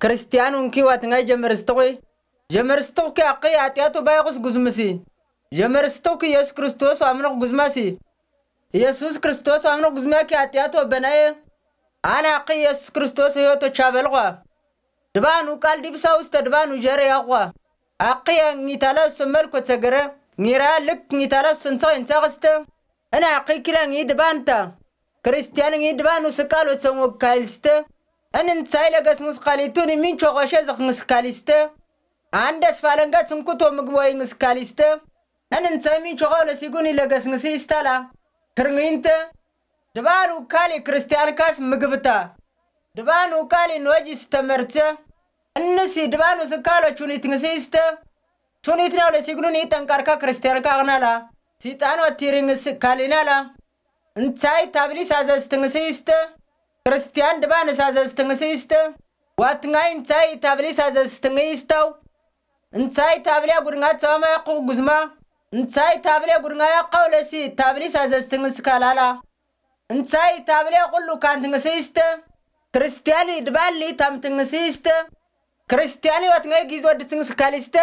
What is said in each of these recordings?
ክርስቲያን ውንኪ ዋትንጋይ ጀመርስትኹ ጀመርስትኹኪ ኣኺ ኣጢኣቱ ባይኹስ ጉዝምሲ ጀመርስትኹኪ ኢየሱስ ክርስቶስ ኣምኖኽ ጉዝማሲ ኢየሱስ ክርስቶስ ኣምኖኽ ጉዝማኪ ኣጢኣቱ ኣበናየ ኣነ ኣኺ ኢየሱስ ክርስቶስ ህይወቶ ቻበልኳ ድባኑ ቃል ዲብሳውስተ ድባኑ ጀረ ያኳ ኣኺ ጊታላ ሰመልኮ ተገረ ጊራ ልክ ጊታላ ሰንሰ ኢንሳኽስተ እነ ኣኺ ኪላ ጊ ድባንታ ክርስቲያን ጊ ድባኑ ስቃሎ ሰንወ ካልስተ እን እንታይ ለገስሙስ ካሊቱን ሚንቾ ኸሸ ዘኽንስ ካሊስተ ኣንደስ ፋለንጋ ትንኩቶ ምግቦ ይንስ ካሊስተ እን እንታይ ሚንቾ ኸለ ሲጉን ይለገስንስ ይስታላ ክርሚንተ ድባኑ ካሊ ክርስቲያን ካስ ምግብታ ድባኑ ካሊ ኖጂ ስተመርተ እንሲ ድባኑ ስካሎ ቹኒት ንስይስተ ቹኒት ነው ለሲግኑን ይጠንቃርካ ክርስቲያን ካቕናላ ሲጣን ወቲሪንስ ካሊናላ እንታይ ታብሊስ ኣዘዝትንስይስተ ክርስቲያን ድባንስ ኣዘዝትንስይስተ ዋትንጋይ እንታይ ታብሊስ ኣዘዝትንይስተው እንታይ ታብልያ ጉድንጋ ተዋማ ያቕቑ ጉዝማ እንታይ ታብልያ ጉድንጋ ያቃው ለሲ ታብሊስ ኣዘዝትንስ ካላላ እንታይ ታብልያ ቁሉ ካንትንስይስተ ክርስቲያን ድባሊ ታምትንስይስተ ክርስቲያን ወትንጋይ ጊዞ ድትንስ ካሊስተ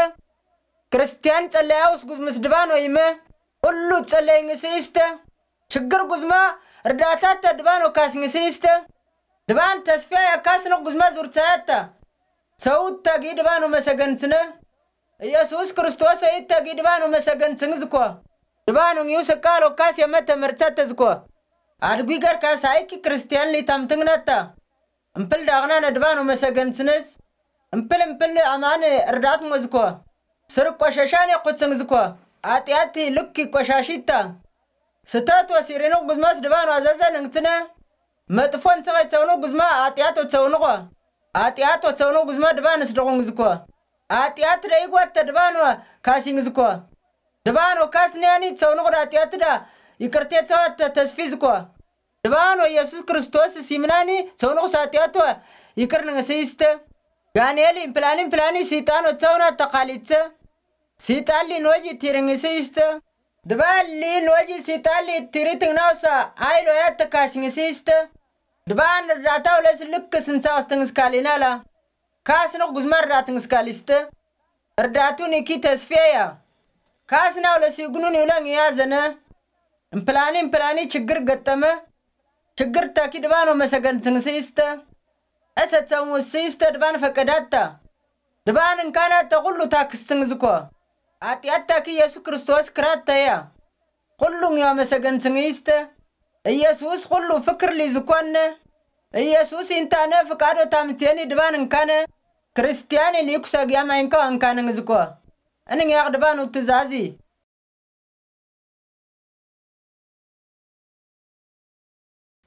ክርስቲያን ጸለያውስ ጉዝምስ ድባኖ ይመ ቁሉ ጸለይ ንስይስተ ችግር ጉዝማ ርዳታተ ድባኖ ካስ ንስይስተ ድባን ተስፊያ ያካስኖ ጉዝማ ዙርታያታ ሰውት ተጊ ድባኖ መሰገንትነ ኢየሱስ ክርስቶስ ሰይት ተጊ ድባኖ መሰገንትን ዝኮ ድባኖ ዩ ስቃሎ ካስ የመተ መርጸተ ዝኮ ኣድጉ ገርካ ሳይኪ ክርስቲያን ሊታምትንግነታ እምፕል ዳቕና ነድባኖ መሰገንትንስ እምፕል እምፕል ኣማን ርዳት ሞዝኮ ስር ቆሸሻን የኩትስንግዝኮ ኣጢኣቲ ልክ ቆሻሺታ ስተት ወሲሪንቕ ጉዝማስ ድባኖ ኣዘዘንንግትነ መጥፎን ሰቐይ ተውንቕ ጉዝማ ኣጢኣት ወተውንቖ ኣጢኣት ወተውንቕ ጉዝማ ድባንስ ድቑንግዝኮ ኣጢኣት ደይጓተ ድባኖ ካሲንግዝኮ ድባኖ ካስንያኒ ተውንቕ ዳጢኣትዳ ይቅርቴ ተዋተ ተስፊዝኮ ድባኖ ኢየሱስ ክርስቶስ ሲምናኒ ተውንቕ ሳጢኣቶ ይቅር ንስይስተ ጋንኤል እምፕላኒ እምፕላኒ ሲጣኖ ተውና ተኻሊተ ሲጣሊ ኖጂ ቲርንግስይስተ ድባሊ ኖጂ ሲጣሊ ቲሪትንግናውሳ ኣይሎ ያተካስንግስይስተ ድባን እርዳታው ለስልክ ስንሳውስትንግስካሊናላ ካስንቕ ጉዝማ እርዳትንግስካሊስተ እርዳቱ ኒኪ ተስፌያ ካስናው ለሲጉኑን ይውለንግያ ዘነ እምፕላኒ እምፕላኒ ችግር ገጠመ ችግር ታኪ ድባኖ መሰገንትንግስይስተ እሰተውስይስተ ድባን ፈቀዳታ ድባን እንካናተ ኩሉ ታክስንግዝኮ ኣጢኣታኪ ኢየሱስ ክርስቶስ ክራተያ ኩሉን ዮ መሰገንትንግይስተ ኢየሱስ ኩሉ ፍክር ሊዝኮነ ኢየሱስ ኢንታነ ፍቃዶ ታምትየኒ ድባን እንካነ ክርስቲያን ኢሊኩ ሰግያም ኣይንካ እንካንንግዝኮ እንግያቕ ድባኑ ትዛዚ